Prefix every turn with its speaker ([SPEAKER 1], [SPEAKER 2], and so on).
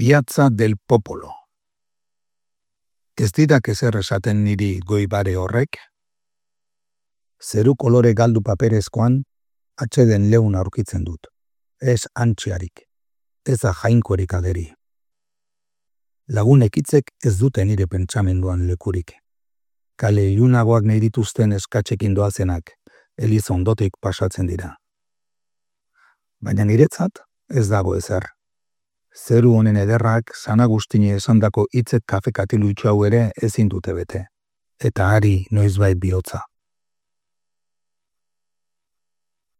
[SPEAKER 1] Piazza del Popolo. Ez didak ezer esaten niri goibare horrek? Zeru kolore galdu paperezkoan, atxeden leun aurkitzen dut. Ez antxiarik, ez da jainkorik ageri. Lagunek hitzek ez dute nire pentsamenduan lekurik. Kale ilunagoak nahi dituzten eskatzekin doazenak, eliza ondotik pasatzen dira. Baina niretzat ez dago ezer. Zeru honen ederrak San Agustini esandako hitzek kafe katilu hau ere ezin dute bete. Eta hari noizbait bihotza.